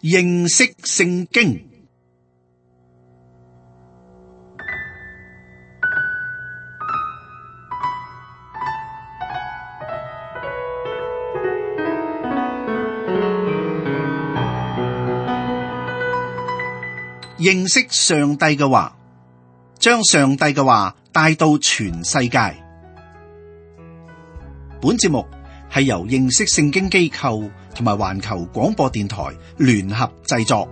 認識聖經。認識上帝嘅話，將上帝嘅話帶到全世界。本節目係由認識聖經機構同埋環球廣播電台聯合製作。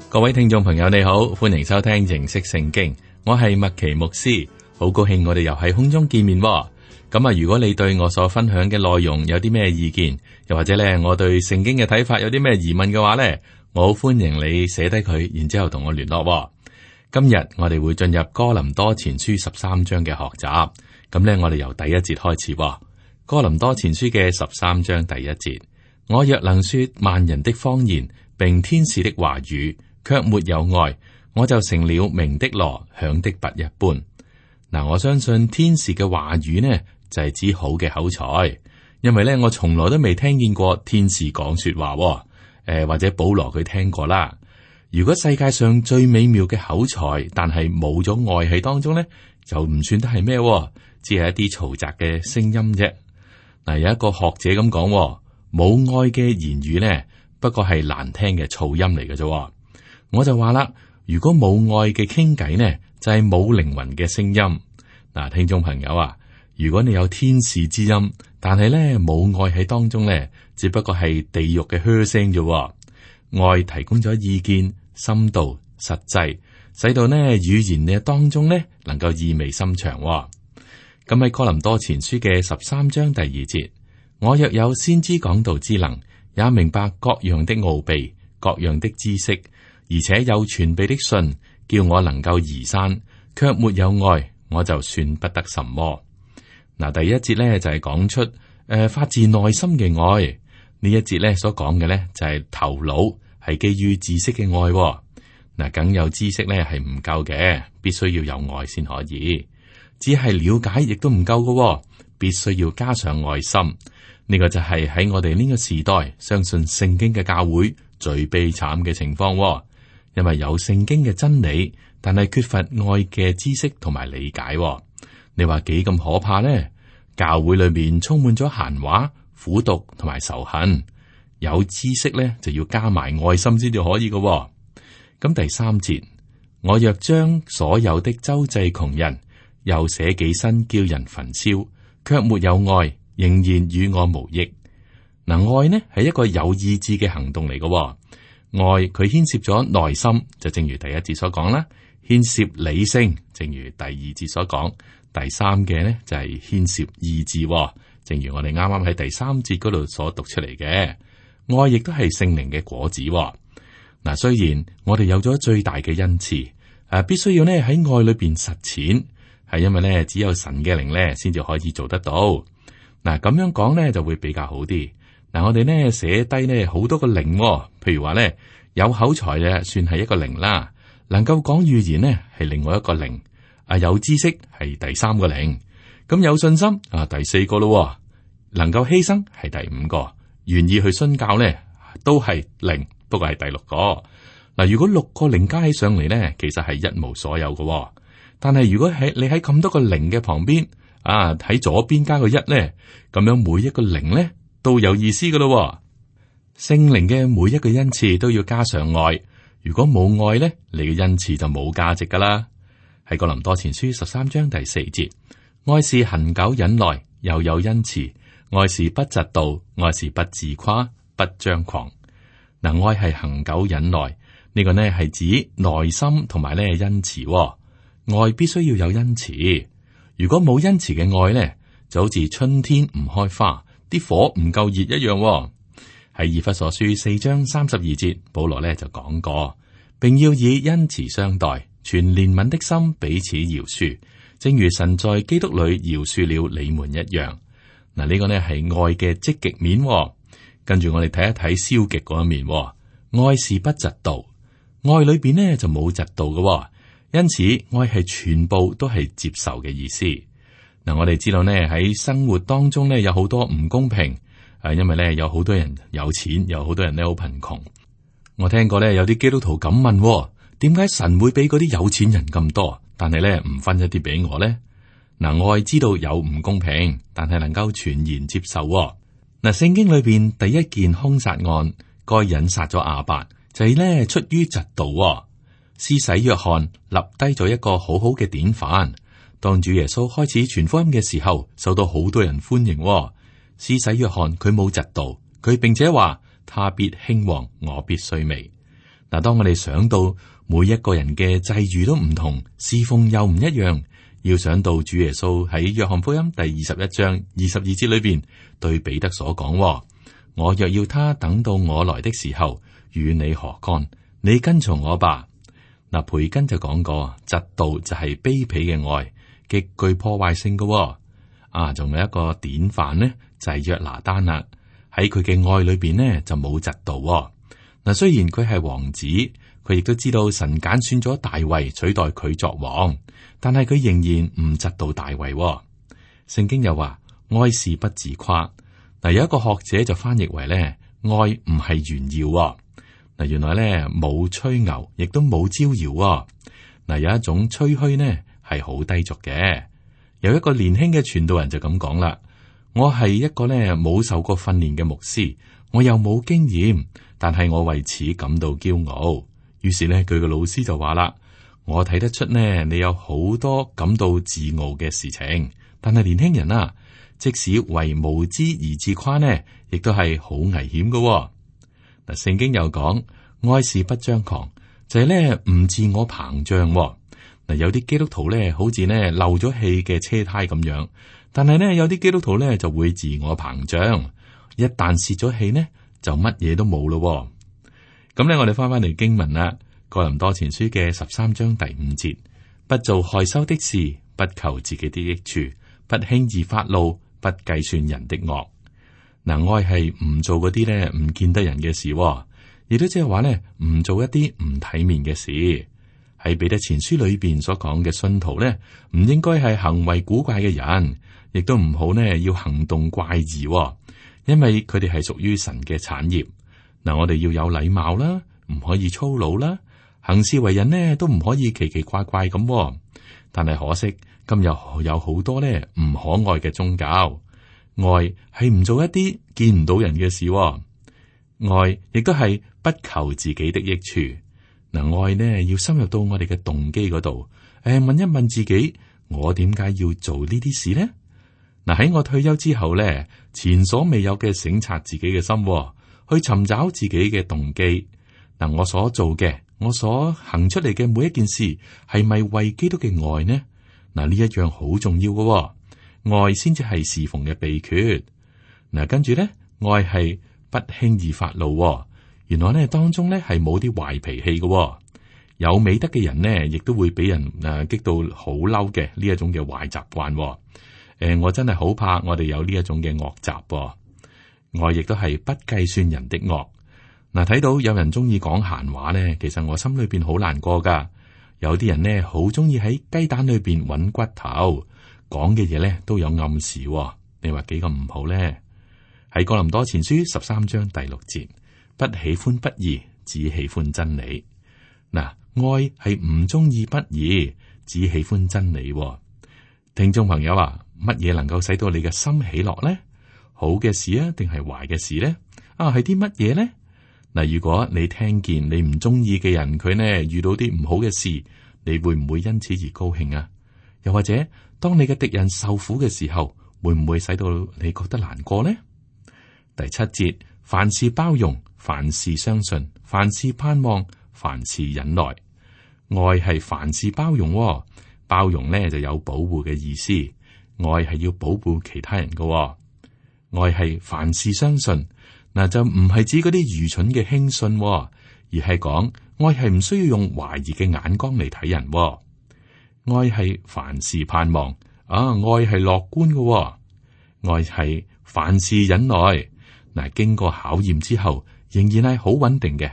各位聽眾朋友，你好，歡迎收聽認識聖經。我係麥奇牧師，好高興我哋又喺空中見面。咁啊，如果你對我所分享嘅內容有啲咩意見，又或者咧我對聖經嘅睇法有啲咩疑問嘅話咧，我好歡迎你寫低佢，然之後同我聯絡。今日我哋會進入哥林多前書13章嘅學習。咁咧，我哋由第一節開始。哥林多前書嘅13章第一節，我若能說萬人的方言，並天使的話語，卻沒有愛，我就成了鳴的鑼，響的鈸一般。嗱，我相信天使嘅話語呢，就係指好嘅口才，因為咧我從來都未聽見過天使講說話。或者保羅佢聽過啦。如果世界上最美妙嘅口才，但係冇咗愛喺當中呢，就唔算得係咩，只係一啲嘈雜嘅聲音啫。嗱，有一個學者咁講，冇愛嘅言語呢，不過係難聽嘅噪音嚟嘅啫。我就話啦，如果冇愛嘅傾偈呢，就係冇靈魂嘅聲音。嗱，聽眾朋友啊，如果你有天使之音，但係咧冇愛喺當中咧，只不過係地獄嘅噓聲啫。愛提供咗意見、深度、實際，使到呢語言嘅當中咧能夠意味深長。咁喺哥林多前書嘅13章第2節，我若有先知講道之能，也明白各樣的奧秘、各樣的知識，而且有全備的信，叫我能夠移山，卻沒有愛，我就算不得什麼。嗱，第一節咧就係講出發自內心嘅愛。呢一節咧所講嘅咧就係頭腦係基於知識嘅愛。嗱，梗有知識咧係唔夠嘅，必須要有愛先可以。只係了解亦都唔夠嘅，必須要加上愛心。呢個就係喺我哋呢個時代相信聖經嘅教會最悲慘嘅情況。因為有聖經嘅真理，但係缺乏愛嘅知識同埋理解。你話幾咁可怕呢？教會裏面充滿咗閒話、苦毒同埋仇恨。有知識咧就要加埋愛心先至可以嘅。咁第3節，我若將所有的周濟窮人，又捨己身叫人焚燒，卻沒有愛，仍然與我無益。嗱，愛呢係一個有意志嘅行動嚟嘅。愛佢牽涉咗內心，就正如第一節所講啦；牽涉理性，正如第二節所講。第三嘅呢就係牽涉意志，正如我哋啱啱喺第3節嗰度所讀出嚟嘅。愛亦都係聖靈嘅果子。嗱，雖然我哋有咗最大嘅恩賜，必須要呢喺愛裏邊實踐，係因為呢只有神嘅靈呢先至可以做得到。嗱，咁樣講呢就會比較好啲。嗱，我哋呢寫低呢好多個靈，譬如話呢有口才嘅算係一個靈啦，能夠講預言呢係另外一個靈，有知識係第3個靈，咁有信心第4個咯，能夠犧牲係第5個，願意去宣教呢都係靈，不過係第6個。嗱，如果6個靈加起上嚟呢，其實係一無所有嘅。但係如果你喺咁多個靈嘅旁邊喺左邊加個1呢，咁樣每一個靈呢都有意思噶咯。聖靈嘅每一個恩賜都要加上愛，如果冇愛呢，你嘅恩賜就冇價值噶啦。喺哥林多前書13章第4節，愛是恒久忍耐，又有恩慈；愛是不嫉妒，愛是不自誇，不張狂。嗱，愛係恒久忍耐，呢個呢係指內心同埋呢恩慈。愛必須要有恩慈，如果冇恩慈嘅愛呢，就好似春天唔開花，啲火唔夠熱一樣。喺以弗所書4章32節，保羅呢就講過，並要以恩慈相待，全憐憫的心彼此饒恕，正如神在基督裏饒恕了你們一樣。嗱，呢個呢係愛嘅積極面。跟住我哋睇一睇消極嗰一面。愛是不嫉妒，愛裏邊呢就冇嫉妒嘅，因此愛係全部都係接受嘅意思。嗱，我哋知道呢喺生活當中呢有好多唔公平，因為呢有好多人有錢，有好多人呢好貧窮。我聽過呢有啲基督徒咁問，點解神會俾嗰啲有錢人咁多，但係呢唔分一啲俾我呢？嗱，愛知道有唔公平，但係能夠全然接受。嗱，聖經裏邊第一件兇殺案，該隱殺咗亞伯，就係呢出於嫉妒。施洗約翰立低咗一個好好嘅典範。當主耶穌開始傳福音嘅時候，受到好多人歡迎。施洗約翰佢冇嫉妒，佢並且話他必興旺，我必衰微。嗱，當我哋想到每一個人嘅際遇都唔同，侍奉又唔一樣，要想到主耶穌喺約翰福音第21章22節裏邊對彼得所講：我若要他等到我來的時候，與你何干？你跟從我吧。嗱，培根就講過，嫉妒就係卑鄙嘅愛，極具破壞性嘅。仲有一個典範呢，就係約拿單啦。喺佢嘅愛裏邊呢，就冇嫉妒。嗱，雖然佢係王子，佢亦都知道神揀選咗大衛取代佢作王，但係佢仍然唔嫉妒大衛。聖經又話，愛是不自誇。嗱，有一個學者就翻譯為咧，愛唔係炫耀。嗱，原來咧冇吹牛，亦都冇招搖。嗱，有一種吹噓呢係好低俗嘅。有一個年輕嘅傳道人就咁講啦：我係一個咧冇受過訓練嘅牧師，我又冇經驗，但係我為此感到驕傲。於是咧，佢嘅老師就話啦：我睇得出呢，你有好多感到自傲嘅事情，但係年輕人啊，即使為無知而自誇呢，亦都係好危險嘅。嗱，聖經又講，愛是不張狂，就係咧唔自我膨脹。嗱，有啲基督徒咧，好似咧漏咗氣嘅車胎咁樣，但係咧有啲基督徒咧就會自我膨脹，一旦泄咗氣呢，就乜嘢都冇咯。咁咧，我哋翻嚟經文啦，《哥林多前書》嘅13章第5節，不做害羞的事，不求自己的益處，不輕易發怒，不計算人的惡。嗱，愛係唔做嗰啲咧唔見得人嘅事，亦都即係話咧唔做一啲唔體面嘅事。喺彼得前書裏邊所講嘅信徒咧，唔應該係行為古怪嘅人，亦都唔好呢要行動怪異，因為佢哋係屬於神嘅產業。嗱，我哋要有禮貌啦，唔可以粗魯啦，行事為人呢都唔可以奇奇怪怪咁。但係可惜今日有好多咧唔可愛嘅宗教，愛係唔做一啲見唔到人嘅事，愛亦都係不求自己的益處。嗱，愛呢要深入到我哋嘅動機嗰度，問一問自己，我點解要做呢啲事呢？嗱，喺我退休之後咧，前所未有嘅省察自己嘅心，去尋找自己嘅動機。嗱，我所做嘅，我所行出嚟嘅每一件事，係咪為基督嘅愛呢？嗱，呢一樣好重要嘅，愛先至係侍奉嘅秘訣。嗱，跟住咧，愛係不輕易發怒。原來呢當中咧係冇啲壞脾氣嘅，有美德嘅人呢，亦都會俾人激到好嬲嘅呢一種嘅壞習慣。我真係好怕我哋有呢一種嘅惡習。愛亦都係不計算人的惡。嗱，睇到有人中意講閒話呢，其實我心裏邊好難過噶。有啲人呢，好中意喺雞蛋裏邊揾骨頭，講嘅嘢呢都有暗示。你話幾咁唔好呢？喺哥林多前書13章第6節。不喜歡不義，只喜歡真理。嗱，愛係唔中意不義，只喜歡真理。聽眾朋友啊，乜嘢能夠使到你嘅心喜樂呢？好嘅事啊，定係壞嘅事呢？係啲乜嘢呢？嗱，如果你聽見你唔中意嘅人，佢呢遇到啲唔好嘅事，你會唔會因此而高興啊？又或者，當你嘅敵人受苦嘅時候，會唔會使到你覺得難過呢？第7節，凡事包容，凡事相信，凡事盼望，凡事忍耐。愛係凡事包容，包容呢就有保護嘅意思。愛係要保護其他人嘅。愛係凡事相信，嗱就唔係指嗰啲愚蠢嘅輕信，而係講愛係唔需要用懷疑嘅眼光嚟睇人。愛係凡事盼望，愛係樂觀嘅。愛係凡事忍耐。嗱，經過考驗之後，仍然係好穩定嘅。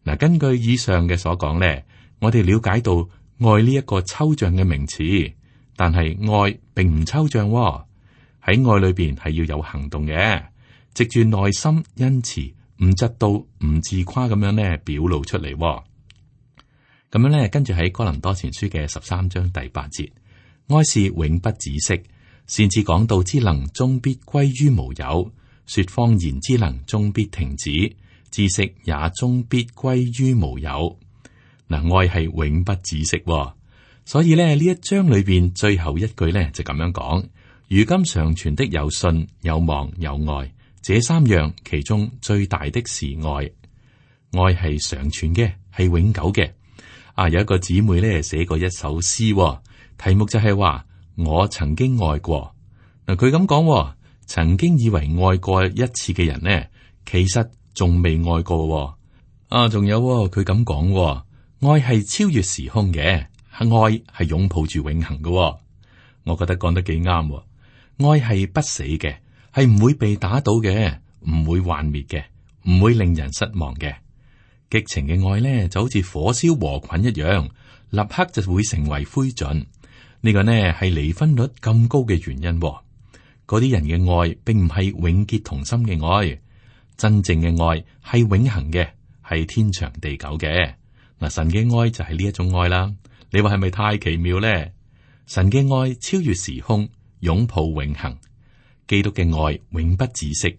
嗱，根據以上嘅所講咧，我哋了解到愛呢一個抽象嘅名詞，但係愛並唔抽象喎。喺愛裏邊係要有行動嘅，藉住內心恩慈，唔嫉妒、唔自誇咁樣咧表露出嚟喎。咁樣咧，跟住喺哥林多前書嘅13章第8節，愛是永不止息，擅自講道之能終必歸於無有，說謊言之能終必停止，知識也終必歸於無有。嗱，愛係永不止息喎，所以咧呢一章裏邊最後一句咧就咁樣講：如今常存的有信、有望、有愛，這三樣其中最大的是愛。愛係常存嘅，係永久嘅。有一個姊妹咧寫過一首詩喎，題目就係話我曾經愛過。嗱，佢咁講，曾經以為愛過一次嘅人呢，其實仲未愛過喎。仲有佢咁講，愛係超越時空嘅，愛係擁抱住永恆嘅喎。我覺得講得幾啱。愛係不死嘅，係唔會被打倒嘅，唔會幻滅嘅，唔會令人失望嘅。激情嘅愛呢，就好似火燒禾捆一樣，立刻就會成為灰燼。呢個呢係離婚率咁高嘅原因。嗰啲人嘅愛並唔係永結同心嘅愛，真正嘅愛係永恆嘅，係天長地久嘅。嗱，神嘅愛就係呢一種愛啦。你話係咪太奇妙呢？神嘅愛超越時空，擁抱永恆。基督嘅愛永不止息。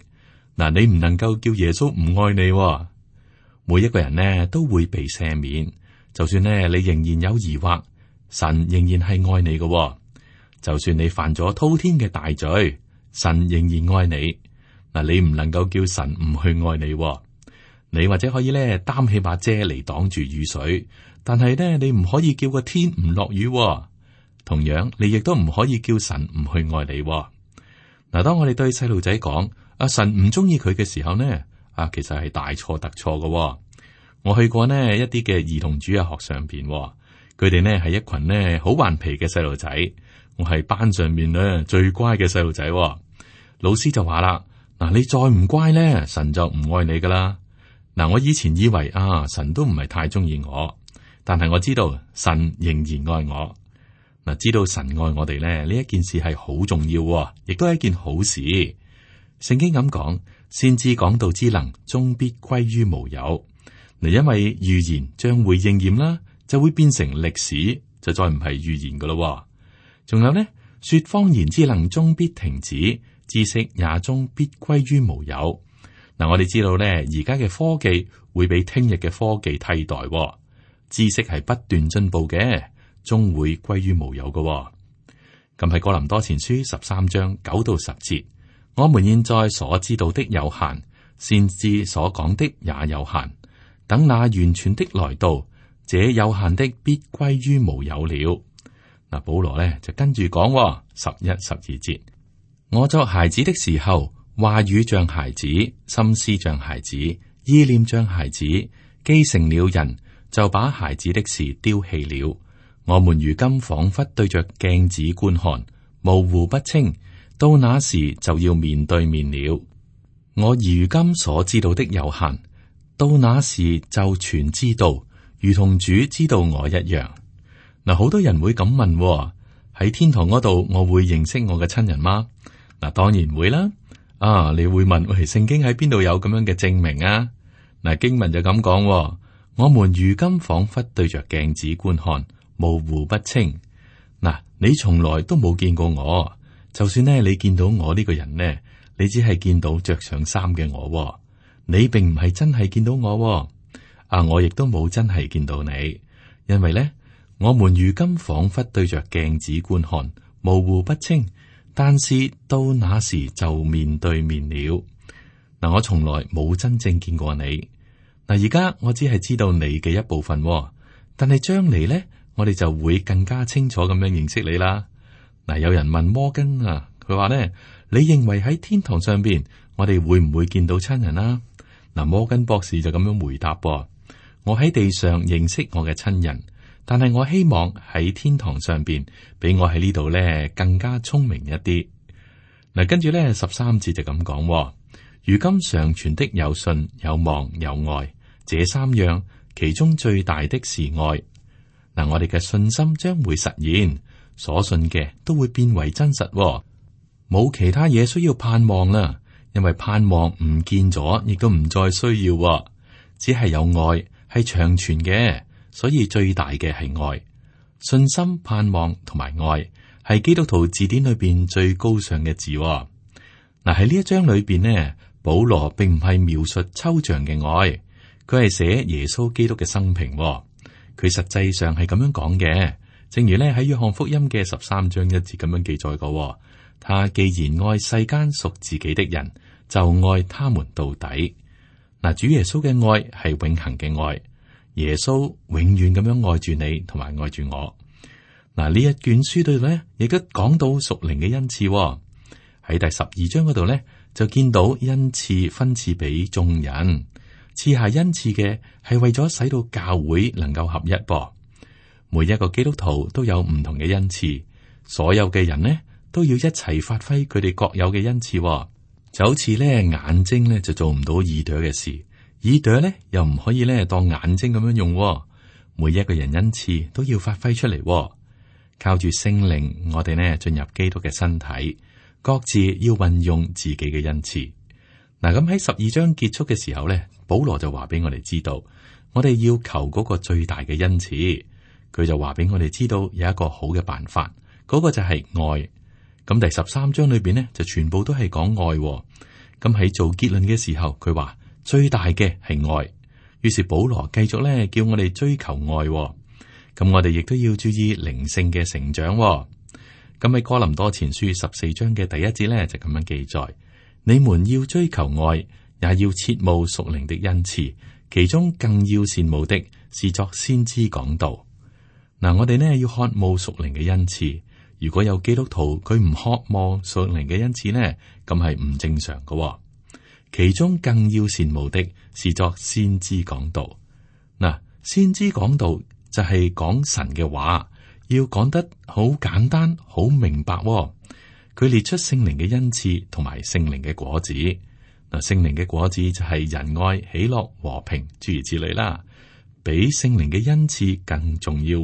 嗱，你唔能夠叫耶穌唔愛你。每一個人呢都會被赦免，就算呢你仍然有疑惑，神仍然係愛你嘅。就算你犯咗滔天嘅大罪，神仍然愛你。嗱，你唔能夠叫神唔去愛你。你或者可以呢擔起把遮嚟擋住雨水，但係呢你唔可以叫個天唔落雨。同樣，你亦都唔可以叫神唔去愛你。嗱，當我哋對細路仔講神唔中意佢嘅時候呢，其實係大錯特錯嘅。我去過呢一啲嘅兒童主日學上邊，佢哋呢係一群呢好頑皮嘅細路仔。我係班上面呢最乖嘅細路仔。老師就話啦：嗱，你再唔乖呢，神就唔愛你噶啦。嗱，我以前以為神都唔係太中意我，但係我知道神仍然愛我。嗱，知道神愛我哋咧，呢一件事係好重要，亦都係一件好事。聖經咁講，先知講道之能終必歸於無有。嗱，因為預言將會應驗啦，就會變成歷史，就再唔係預言噶咯。仲有呢，說謊言之能終必停止，知識也終必歸於無有。嗱，我哋知道咧，而家嘅科技會俾聽日嘅科技替代，知識係不斷進步嘅，終會歸於無有嘅。咁喺哥林多前書13章9到10節，我們現在所知道的有限，先知所講的也有限。等那完全的來到，這有限的必歸於無有了。嗱，保羅咧就跟住講11、12節，我作孩子的時候，話語像孩子，心思像孩子，意念像孩子，既成了人，就把孩子的事丟棄了。我們如今仿佛對着鏡子觀看，模糊不清，到那時就要面對面了。我如今所知道的有限，到那時就全知道，如同主知道我一樣。嗱，好多人會咁問，喺天堂嗰度，我會認識我嘅親人嗎？嗱，當然會啦。你會問，喂，聖經喺邊度有咁樣嘅證明啊？嗱，經文就咁講，我們如今仿佛對着鏡子觀看，模糊不清。嗱，你從來都冇見過我，就算呢你見到我呢個人呢，你只係見到着上衫嘅我，你並唔係真係見到我。我亦都冇真係見到你，因為呢，我們如今仿佛對着鏡子觀看，模糊不清。但是到那時就面對面了。嗱，我從來冇真正見過你。嗱，而家我只係知道你嘅一部分，但係將來呢，我哋就會更加清楚咁樣認識你啦。嗱，有人問摩根啊，佢話呢，你認為喺天堂上邊，我哋會唔會見到親人啊？嗱，摩根博士就咁樣回答噃，我喺地上認識我嘅親人。但係我希望喺天堂上邊，比我喺呢度咧更加聰明一啲。嗱，跟住咧13節就咁講，如今常存的有信、有望、有愛，這三樣，其中最大的是愛。嗱，我哋嘅信心將會實現，所信嘅都會變為真實，冇其他嘢需要盼望啦，因為盼望唔見咗，亦都唔再需要，只係有愛係長存嘅，所以最大嘅係愛。信心、盼望同埋愛係基督徒字典裏邊最高尚嘅字。嗱，喺呢一章裏邊呢，保羅並唔係描述抽象嘅愛，佢係寫耶穌基督嘅生平。佢實際上係咁樣講嘅，正如咧喺約翰福音嘅13章1節咁樣記載過。他既然愛世間屬自己的人，就愛他們到底。嗱，主耶穌嘅愛係永恆嘅愛，耶穌永遠咁樣愛住你，同埋愛住我。嗱，呢一卷書度咧，亦都講到屬靈嘅恩賜。喺第12章嗰度咧，就見到恩賜分賜俾眾人。賜下恩賜嘅係為咗使到教會能夠合一噃。每一個基督徒都有唔同嘅恩賜，所有嘅人呢都要一齊發揮佢哋各有嘅恩賜。就好似咧眼睛咧就做唔到耳朵嘅事，耳朵咧又唔可以咧當眼睛咁樣用。每一個人恩賜都要發揮出嚟，靠住聖靈，我哋呢進入基督嘅身體，各自要運用自己嘅恩賜。嗱，咁喺12章結束嘅時候咧，保羅就話俾我哋知道，我哋要求嗰個最大嘅恩賜。佢就話俾我哋知道有一個好嘅辦法，嗰個就係愛。咁第13章裏邊呢，就全部都係講愛。咁喺做結論嘅時候，佢話最大嘅係愛。於是保羅繼續咧叫我哋追求愛。咁我哋亦都要注意靈性嘅成長。咁喺哥林多前書14章嘅第1節咧就咁樣記載。你們要追求愛，也要切慕屬靈的恩賜，其中更要羨慕的是作先知講道。嗱，我哋呢要渴慕屬靈嘅恩賜。如果有基督徒佢唔渴望屬靈嘅恩賜呢，咁係唔正常嘅。其中更要羨慕的是作先知講道。嗱，先知講道就係講神嘅話，要講得好簡單、好明白。佢列出聖靈嘅恩賜同埋聖靈嘅果子。嗱，聖靈嘅果子就係仁愛、喜樂、和平，諸如此類啦。比聖靈嘅恩賜更重要。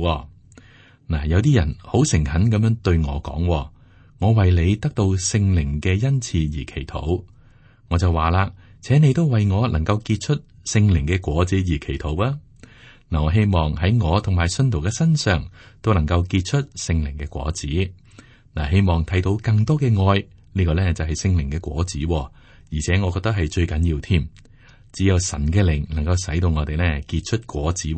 嗱，有啲人好誠懇咁樣對我講，我為你得到聖靈嘅恩賜而祈禱。我就話啦，請你都為我能夠結出聖靈嘅果子而祈禱啊。嗱，我希望喺我同埋信徒嘅身上都能夠結出聖靈嘅果子。嗱，希望睇到更多嘅愛，呢個咧就係聖靈嘅果子，而且我覺得係最緊要添。只有神嘅靈能夠使到我哋咧結出果子。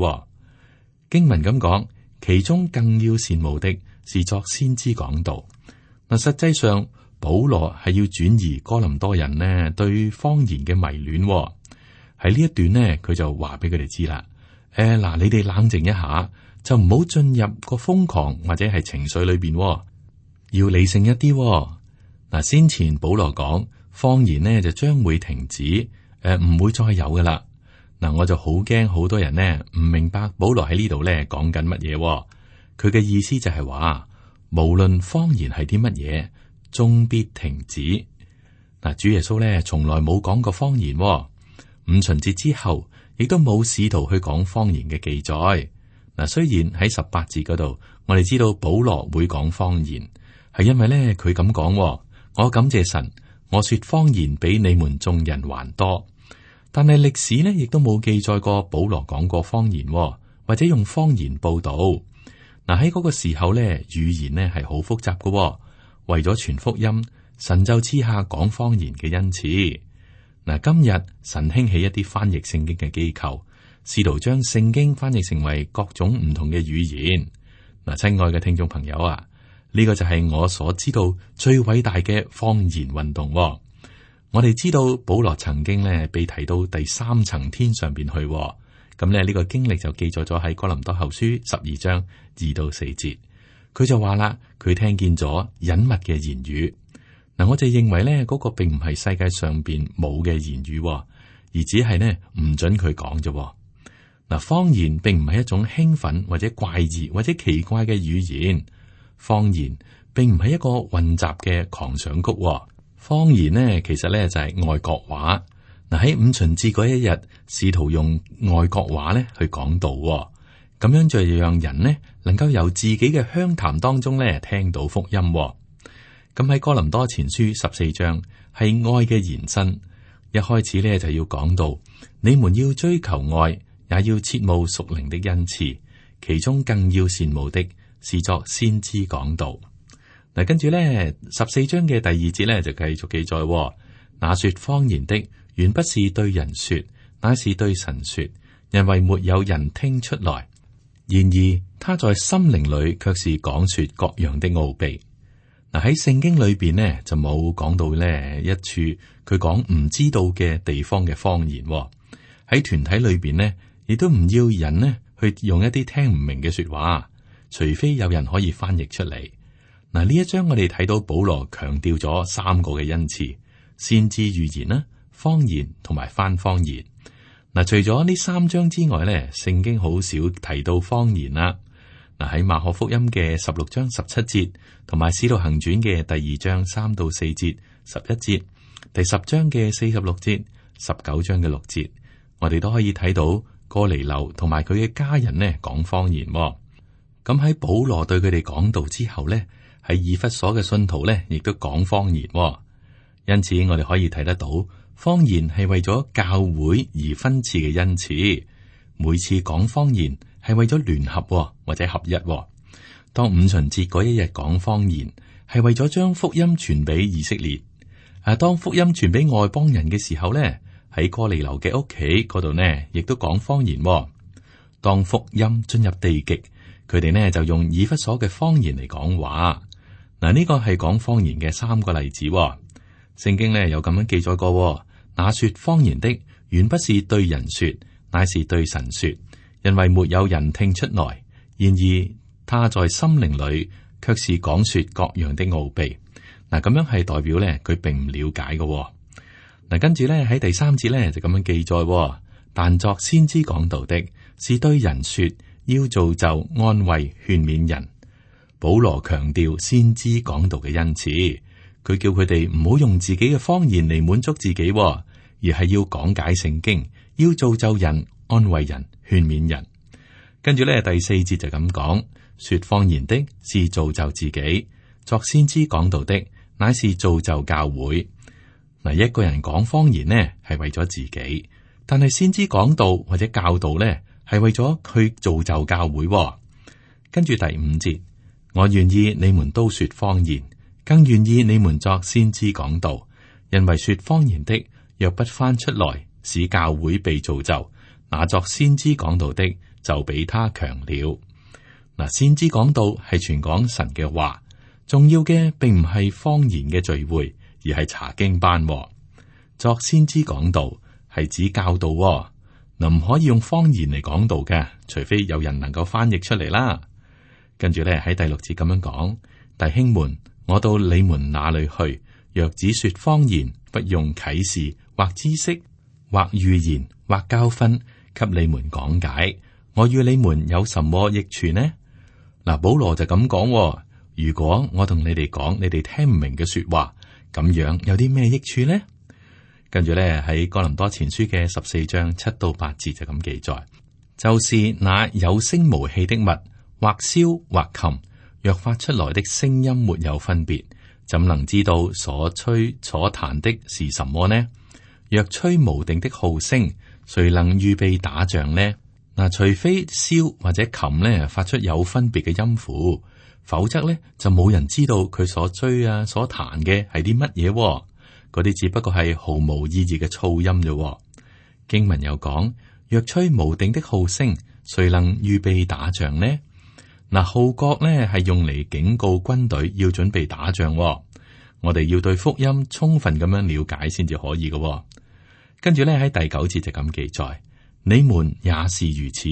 經文咁講，其中更要羨慕的是作先知講道。嗱，實際上保羅係要轉移哥林多人呢對方言嘅迷戀。喺呢一段呢，佢就話俾佢哋知啦。嗱，你哋冷靜一下，就唔好進入個瘋狂或者係情緒裏邊。要理性一啲。嗱，先前保羅講方言呢就將會停止，唔會再有噶啦。嗱，我就好驚好多人呢唔明白保羅喺呢度咧講緊乜嘢。佢嘅意思就係話，無論方言係啲乜嘢，終必停止。嗱，主耶穌咧從來冇講過方言。五旬節之後，亦都冇使徒去講方言嘅記載。嗱，雖然喺18節嗰度，我哋知道保羅會講方言。係因為咧，佢咁講，我感謝神，我說方言比你們眾人還多。但係歷史呢，亦都冇記載過保羅講過方言，或者用方言報道。嗱，喺嗰個時候咧，語言呢係好複雜嘅。為咗傳福音，神就賜下講方言嘅恩賜。嗱，今日神興起一啲翻譯聖經嘅機構，試圖將聖經翻譯成為各種唔同嘅語言。嗱，親愛嘅聽眾朋友啊，呢個就係我所知道最偉大嘅方言運動。我哋知道保羅曾經咧被提到第3層天上邊去，咁咧呢個經歷就記載咗喺哥林多後書12章2到4節。佢就話啦，佢聽見咗隱密嘅言語。嗱，我就認為咧嗰個並唔係世界上邊冇嘅言語，而只係呢唔准佢講啫。嗱，方言並唔係一種興奮或者怪異或者奇怪嘅語言。方言並唔係一個混雜嘅狂想曲。方言呢，其實咧就係外國話。嗱，喺五旬節嗰一日，試圖用外國話咧去講道，咁樣就讓人呢能夠由自己嘅鄉談當中咧聽到福音。咁喺哥林多前書14章係愛嘅延伸，一開始咧就要講到你們要追求愛，也要切慕屬靈的恩賜，其中更要羨慕的是作先知講道。嗱，跟住咧14章嘅第2節咧就繼續記載，那說方言的原不是對人說，乃是對神說，因為沒有人聽出來。然而他在心靈裏卻是講說各樣的奧秘。嗱，喺聖經裏邊呢，就冇講到呢一處佢講唔知道嘅地方嘅方言。喺團體裏邊呢，亦都唔要人呢去用一啲聽唔明嘅說話，除非有人可以翻譯出嚟。嗱，呢一章我哋睇到保羅強調咗3個嘅恩賜：先知預言啦、方言同埋翻方言。嗱，除咗呢3章之外咧，聖經好少提到方言啦。嗱，喺馬可福音嘅16章17節，同埋使徒行傳嘅第2章3到4節、11節，第10章嘅46節、19章嘅6節，我哋都可以睇到哥尼流同埋佢嘅家人呢講方言。咁喺保羅對佢哋講道之後呢，喺以弗所嘅信徒呢亦都講方言。因此我哋可以睇得到，方言係為咗教會而分賜嘅恩賜。每次講方言係為咗聯合或者合一。當五旬節嗰一日講方言，係為咗將福音傳俾以色列。當福音傳俾外邦人嘅時候呢，喺哥尼流嘅屋企嗰度呢，亦都講方言。當福音進入地極，佢哋呢就用以弗所嘅方言嚟講話。嗱，呢個係講方言嘅3個例子。聖經呢有咁樣記載過，那說方言的原不是對人說，乃是對神說，因為沒有人聽出來。然而他在心靈裏卻是講說各樣的奧秘。嗱，咁樣係代表呢，佢並唔了解嘅。嗱，跟住呢，喺第3節呢就咁樣記載，但作先知講道的是對人說，要造就、安慰、勸勉人。保羅強調先知講道嘅恩賜，佢叫佢哋唔好用自己嘅方言嚟滿足自己，而係要講解聖經，要造就人、安慰人、勸勉人。跟住咧第4節就咁講，說方言的是造就自己，作先知講道的乃是造就教會。嗱，一個人講方言呢係為咗自己，但係先知講道或者教導呢係為咗去造就教會。跟住第5節，我願意你們都說方言，更願意你們作先知講道，因為說方言的若不翻出來，使教會被造就，那作先知講道的就比他強了。嗱，先知講道係傳講神嘅話，重要嘅並唔係方言嘅聚會，而係查經班。作先知講道係指教導，嗱，唔可以用方言嚟講道嘅，除非有人能夠翻譯出嚟啦。跟住咧喺第6節咁樣講，弟兄們，我到你們那裏去，若只說方言，不用啟示或知識或預言或教訓，給你們講解，我與你們有什麼益處呢？嗱，保羅就咁講，如果我同你哋講，你哋聽唔明嘅說話，咁樣有啲咩益處呢？跟住咧喺哥林多前書嘅14章7到8節就咁記載，就是那有聲無氣的物，或簫或琴，若發出來的聲音沒有分別，怎能知道所吹所彈的是什麼呢？若吹無定的號聲，誰能預備打仗呢？嗱，除非簫或者琴呢發出有分別嘅音符，否則呢就冇人知道佢所吹所彈嘅係啲乜嘢。嗰啲只不過係毫無意義嘅噪音啫。經文又講，若吹無定的號聲，誰能預備打仗呢？嗱，號角呢係用嚟警告軍隊要準備打仗。我哋要對福音充分咁樣了解先至可以嘅。跟住呢喺第9節就咁記載，你們也是如此。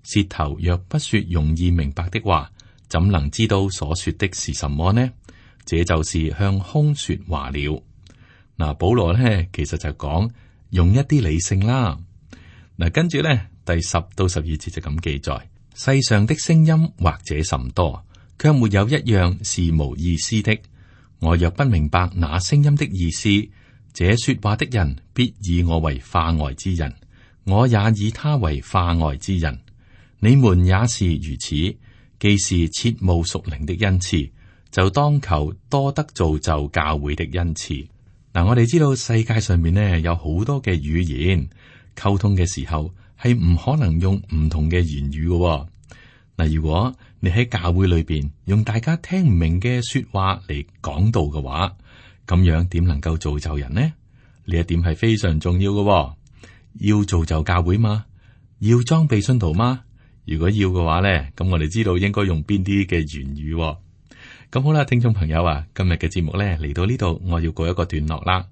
舌頭若不說容易明白的話，怎能知道所說的是什麼呢？這就是向空說話了。嗱，保羅呢其實就講用一啲理性啦。嗱，跟住呢第10到12節就咁記載，世上的聲音或者甚多，卻沒有一樣是無意思的。我若不明白那聲音的意思，這說話的人必以我為化外之人，我也以他為化外之人。你們也是如此，既是切慕屬靈的恩賜，就當求多得造就教會的恩賜。嗱，我哋知道世界上面呢有好多嘅語言，溝通嘅時候係唔可能用唔同嘅言語嘅。嗱，如果你喺教會裏邊用大家聽唔明嘅說話嚟講道嘅話，咁樣點能夠造就人呢？呢一點係非常重要嘅。要造就教會嗎？要裝備信徒嗎？如果要嘅話咧，咁我哋知道應該用邊啲嘅言語。咁好啦，聽眾朋友啊，今日嘅節目咧嚟到呢度，我要告一個段落啦。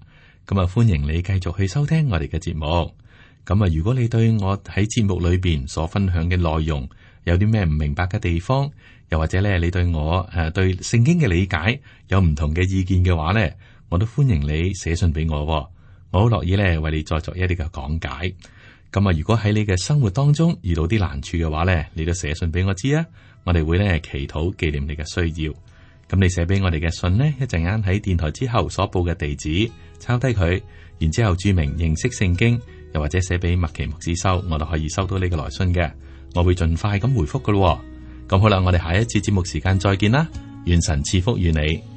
咁啊，歡迎你繼續去收聽我哋嘅節目。咁啊，如果你對我喺節目裏邊所分享嘅內容有啲咩唔明白嘅地方，又或者咧你對我對聖經嘅理解有唔同嘅意見嘅話咧，我都歡迎你寫信俾我。我好樂意咧為你再作一啲嘅講解。咁啊，如果喺你嘅生活當中遇到啲難處嘅話咧，你都寫信俾我知啊。我哋會咧祈禱紀念你嘅需要。咁你寫俾我哋嘅信呢，一陣間喺電台之後所報嘅地址抄低佢，然之後注明認識聖經，又或者寫俾麥奇牧師收，我都可以收到你嘅來信嘅。我會盡快咁回覆噶咯。咁好啦，我哋下一次節目時間再見啦。願神賜福與你。